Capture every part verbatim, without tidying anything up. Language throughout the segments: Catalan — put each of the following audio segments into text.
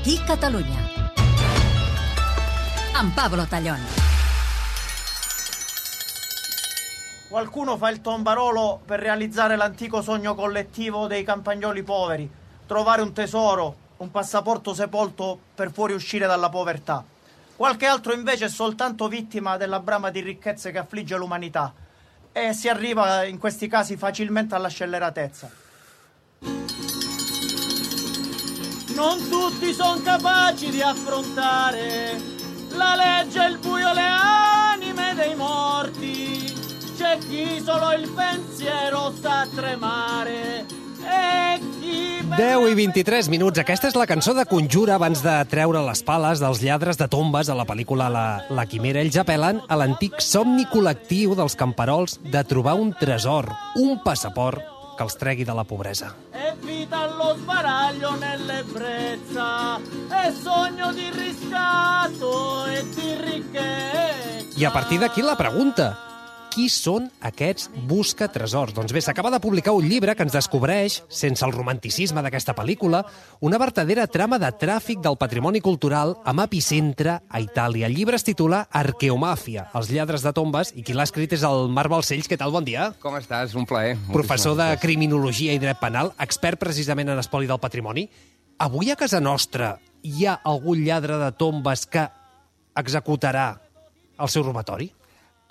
Aquí Catalunya. Amb Pablo Tallón. Qualcuno fa il tombarolo per realizzare l'antico sogno collettivo dei campagnoli poveri, trovare un tesoro, un passaporto sepolto per fuoriuscire dalla povertà. Qualche altro invece è soltanto vittima della brama di ricchezze che affligge l'umanità e si arriva in questi casi facilmente alla scelleratezza. Non tutti sono capaci di affrontare la legge e il buio, le anime dei morti. C'è chi solo il pensiero sa tremare e chi... deu i vint-i-tres minuts. Aquesta és la cançó de Conjura abans de treure les pales dels lladres de tombes a la pel·lícula La, la Quimera. Ells apel·len a l'antic somni col·lectiu dels camperols de trobar un tresor, un passaport que els tregui de la pobresa. Evita lo sbaraglio nell'ebbrezza e sogno di riscatto e di ricchezza. I a partir d'aquí la pregunta: qui són aquests buscatresors? Doncs bé, s'acaba de publicar un llibre que ens descobreix, sense el romanticisme d'aquesta pel·lícula, una vertadera trama de tràfic del patrimoni cultural amb epicentre a Itàlia. El llibre es titula Arqueomàfia, els lladres de tombes, i qui l'ha escrit és el Marc Balcells. Què tal? Bon dia. Com estàs? Un plaer. Professor de Criminologia i Dret Penal, expert precisament en espoli del patrimoni. Avui a casa nostra hi ha algun lladre de tombes que executarà el seu robatori?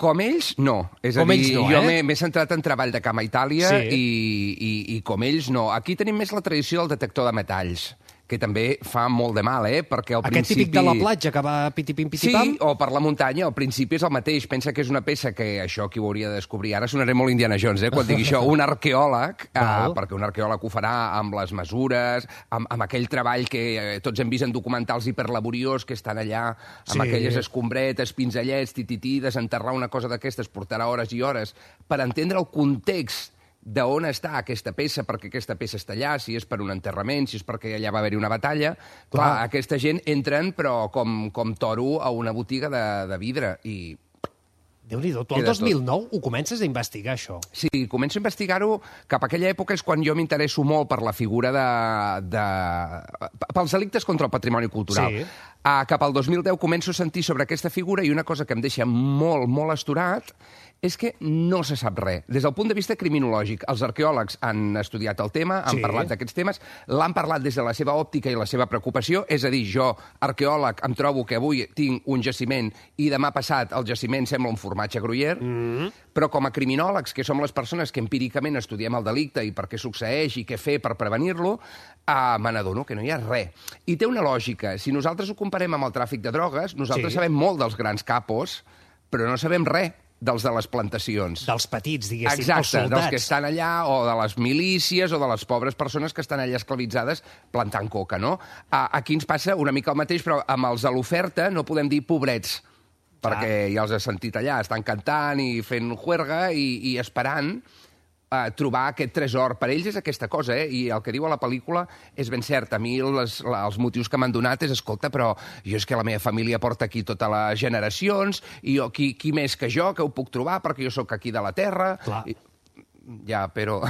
Com ells, no. És com a dir, ells no, jo eh? m'he centrat en treball de camp a Itàlia sí. i, i, i com ells no. Aquí tenim més la tradició del detector de metalls, que també fa molt de mal, eh? Perquè al Aquest principi... típic de la platja que va pitipim-pitipam? Sí, o per la muntanya, al principi és el mateix. Pensa que és una peça que, això qui ho hauria de descobrir, ara sonaré molt Indiana Jones, eh? Quan digui això, un arqueòleg, eh, perquè un arqueòleg ho farà amb les mesures, amb, amb aquell treball que eh, tots hem vist en documentals hiperlaboriós, que estan allà amb sí. aquelles escombretes, pinzellets, titití, desenterrar una cosa d'aquestes portarà hores i hores per entendre el context d'on està aquesta peça, perquè aquesta peça està allà, si és per un enterrament, si és perquè allà va haver-hi una batalla. Clar, Clar aquesta gent entren, però com, com toro a una botiga de, de vidre, i... Déu-n'hi-do, tu el dos mil nou ho comences a investigar, això. Sí, començo a investigar-ho cap a aquella època, és quan jo m'interesso molt per la figura de... de... pels delictes contra el patrimoni cultural. Sí. Uh, cap al dos mil deu començo a sentir sobre aquesta figura i una cosa que em deixa molt, molt astorat és que no se sap res. Des del punt de vista criminològic, els arqueòlegs han estudiat el tema, han sí. parlat d'aquests temes, l'han parlat des de la seva òptica i la seva preocupació, és a dir, jo, arqueòleg, em trobo que avui tinc un jaciment i demà passat el jaciment sembla un formatge Gruyère, mm. però com a criminòlegs, que som les persones que empíricament estudiem el delicte i per què succeeix i què fer per prevenir-lo, uh, me n'adono que no hi ha res. I té una lògica. Si nosaltres ho comparem amb el tràfic de drogues, nosaltres sí. sabem molt dels grans capos, però no sabem res dels de les plantacions. Dels petits, diguéssim, Exacte, els soldats. dels que estan allà, o de les milícies, o de les pobres persones que estan allà esclavitzades plantant coca, no? Aquí ens passa una mica el mateix, però amb els de l'oferta no podem dir pobrets, perquè ah. ja els he sentit allà, estan cantant i fent juerga i, i esperant a trobar aquest tresor. Per ells és aquesta cosa, eh? I el que diu a la pel·lícula és ben cert. A mi les, els motius que m'han donat és, escolta, però jo és que la meva família porta aquí totes les generacions, i jo, qui, qui més que jo, que ho puc trobar, perquè jo sóc aquí de la terra. Clar. I, ja, però...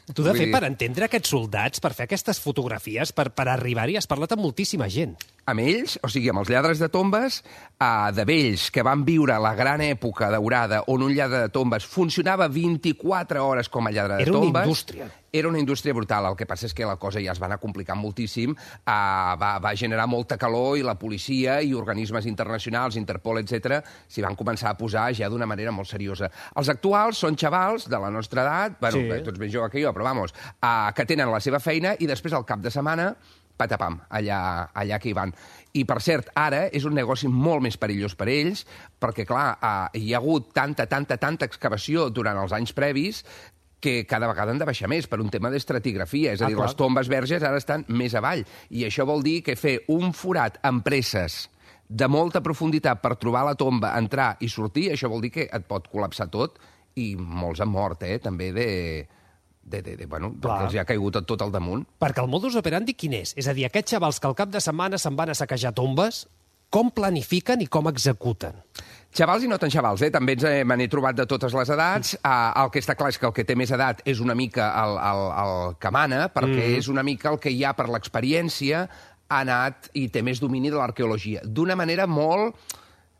Tu, de fet, per entendre aquests soldats, per fer aquestes fotografies, per, per arribar-hi, has parlat amb moltíssima gent. Amb ells, o sigui, amb els lladres de tombes, eh, de vells que van viure la gran època daurada on un lladre de tombes funcionava vint-i-quatre hores com a lladre de Era tombes. Era una indústria. Era una indústria brutal. El que passa és que la cosa ja es va anar complicant moltíssim, eh, va, va generar molta calor i la policia i organismes internacionals, Interpol, etcètera, s'hi van començar a posar ja d'una manera molt seriosa. Els actuals són xavals de la nostra edat, bueno, sí. tots més joves que jo, però vamos, eh, que tenen la seva feina i després al cap de setmana patapam, allà, allà que hi van. I, per cert, ara és un negoci molt més perillós per ells, perquè, clar, eh, hi ha hagut tanta, tanta, tanta excavació durant els anys previs que cada vegada han de baixar més per un tema d'estratigrafia. És a dir, ah, les tombes verges ara estan més avall. I això vol dir que fer un forat amb presses de molta profunditat per trobar la tomba, entrar i sortir, això vol dir que et pot col·lapsar tot, i molts han mort, eh, també de... De, de, de, bueno, perquè els hi ha caigut tot al damunt. Perquè el modus operandi quin és? És a dir, aquests xavals que al cap de setmana se'n van a saquejar tombes, com planifiquen i com executen? Xavals i no tan xavals, eh? També ens, eh, me n'he trobat de totes les edats. Uh, el que està clar és que el que té més edat és una mica el, el, el que mana, perquè mm. és una mica el que hi ha per l'experiència. ha anat i té més domini de l'arqueologia. D'una manera molt...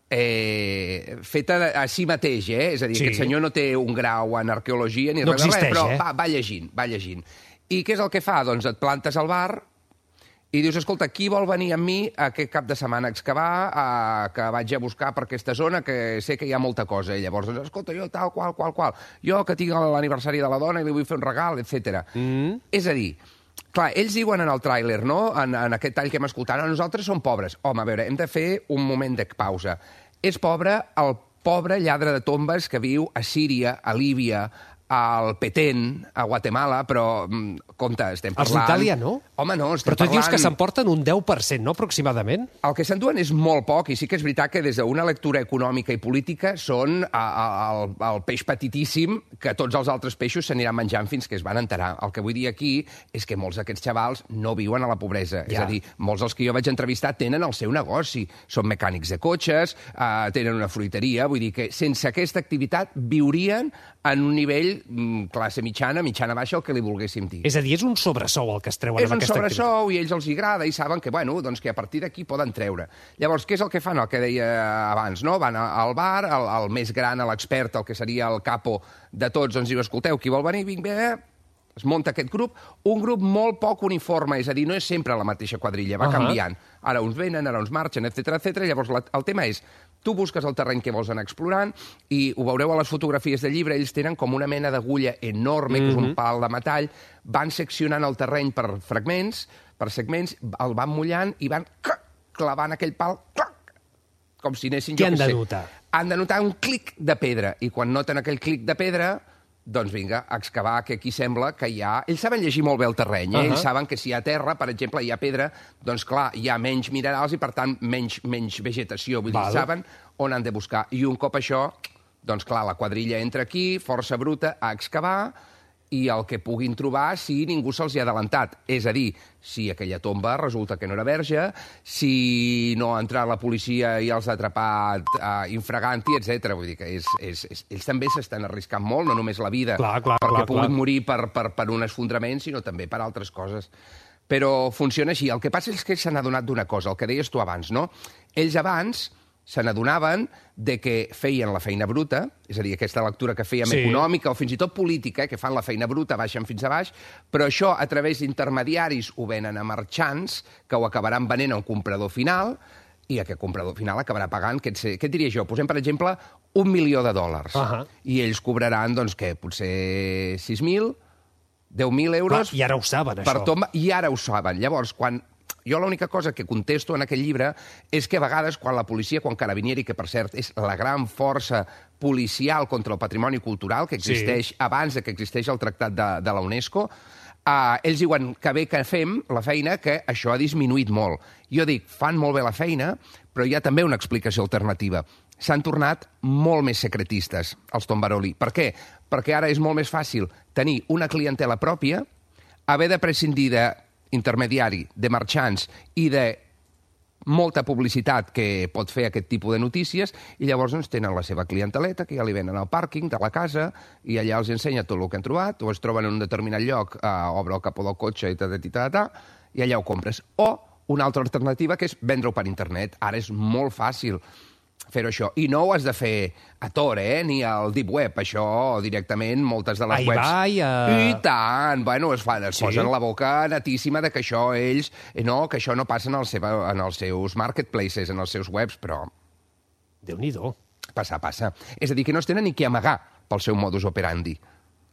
Eh, feta a si mateix, eh? És a dir, sí. Aquest senyor no té un grau en arqueologia ni no res de res, però eh? va, va llegint, va llegint. I què és el que fa? Doncs et plantes al bar i dius, escolta, qui vol venir amb mi aquest cap de setmana a excavar, a, que vaig a buscar per aquesta zona, que sé que hi ha molta cosa. I llavors, doncs, escolta, jo tal, qual, qual, qual. Jo que tinc l'aniversari de la dona i li vull fer un regal, etcètera. Mm. És a dir, clar, ells diuen en el tràiler, no?, en, en aquest tall que hem escoltat, no, nosaltres som pobres. Home, a veure, hem de fer un moment de pausa. És pobre el pobre lladre de tombes que viu a Síria, a Líbia, al Petén, a Guatemala, però, compte, estem parlant... Els d'Itàlia, no? Home, no, estem però tu parlant... dius que s'emporten un deu per cent, no, aproximadament? El que s'enduen és molt poc, i sí que és veritat que des d'una lectura econòmica i política són a, a, el, el peix petitíssim que tots els altres peixos s'aniran menjant fins que es van enterar. El que vull dir aquí és que molts d'aquests xavals no viuen a la pobresa. Ja. És a dir, molts dels que jo vaig entrevistar tenen el seu negoci. Són mecànics de cotxes, eh, tenen una fruiteria, vull dir que sense aquesta activitat viurien en un nivell classe mitjana, mitjana baixa, el que li volguéssim dir. És a dir, és un sobresou el que es treuen amb aquesta activitat. És un sobresou i a ells els agrada i saben que, bueno, doncs que a partir d'aquí poden treure. Llavors, què és el que fan? El que deia abans, no? Van al bar, el, el més gran, l'expert, el que seria el capo de tots, doncs diu, escolteu, qui vol venir? Vinc bé, es munta aquest grup, un grup molt poc uniforme, és a dir, no és sempre la mateixa quadrilla, va uh -huh. canviant. Ara uns venen, ara uns marxen, etcètera, etcètera. Llavors, la, el tema és, tu busques el terreny que vols anar explorant i ho veureu a les fotografies del llibre, ells tenen com una mena d'agulla enorme, mm-hmm. que és un pal de metall, van seccionant el terreny per fragments, per segments, el van mullant i van clavant aquell pal, com si anessin... Què han de notar? Han de notar un clic de pedra, i quan noten aquell clic de pedra, doncs vinga, a excavar, que aquí sembla que hi ha... Ells saben llegir molt bé el terreny, eh? Uh -huh. Ells saben que si hi ha terra, per exemple, hi ha pedra, doncs clar, hi ha menys minerals i, per tant, menys, menys vegetació. Vull Val. dir, saben on han de buscar. I un cop això, doncs clar, la quadrilla entra aquí, força bruta, a excavar, i el que puguin trobar si ningú se'ls hi ha adelantat. És a dir, si aquella tomba resulta que no era verge, si no ha entrat la policia i els ha atrapat uh, infraganti, etcètera. Vull dir que és, és, és, ells també s'estan arriscant molt, no només la vida, clar, clar, perquè clar, puguin clar. morir per, per, per un esfondrament, sinó també per altres coses. Però funciona així. El que passa és que se n'ha adonat d'una cosa, el que deies tu abans, no? Ells abans se n'adonaven de que feien la feina bruta, és a dir, aquesta lectura que fèiem sí. econòmica o fins i tot política, eh, que fan la feina bruta, baixen fins a baix, però això a través d'intermediaris ho venen a marxants, que ho acabaran venent a un comprador final, i aquest comprador final acabarà pagant, què, et, què et diria jo? Posem, per exemple, un milió de dòlars. Uh -huh. I ells cobraran, doncs, què, potser sis mil, deu mil euros... Clar, I ara ho saben, per això. tomba, I ara ho saben. Llavors, quan... Jo l'única cosa que contesto en aquell llibre és que a vegades quan la policia, quan Carabinieri, que per cert és la gran força policial contra el patrimoni cultural que existeix sí. abans de que existeix el tractat de, de la UNESCO, Uh, ells diuen que bé que fem la feina, que això ha disminuït molt. Jo dic, fan molt bé la feina, però hi ha també una explicació alternativa. S'han tornat molt més secretistes, els Tombaroli. Per què? Perquè ara és molt més fàcil tenir una clientela pròpia, haver de prescindir d'intermediari, de marxants i de molta publicitat que pot fer aquest tipus de notícies, i llavors doncs, tenen la seva clienteleta, que ja li venen al pàrquing de la casa, i allà els ensenya tot el que han trobat, o es troben en un determinat lloc, eh, obre el capó del cotxe i ta, ta, ta, ta, i allà ho compres. O una altra alternativa, que és vendre-ho per internet. Ara és molt fàcil fer-ho això. I no ho has de fer a Tor, eh? Ni al Deep Web. Això directament, moltes de les Ai, webs... Vai, a... I tant! Bueno, es, fan, es sí? posen la boca netíssima de que això ells... No, que això no passa en, el seva, en els seus marketplaces, en els seus webs, però... Déu-n'hi-do. Passa, passa. És a dir, que no es tenen ni que amagar pel seu modus operandi.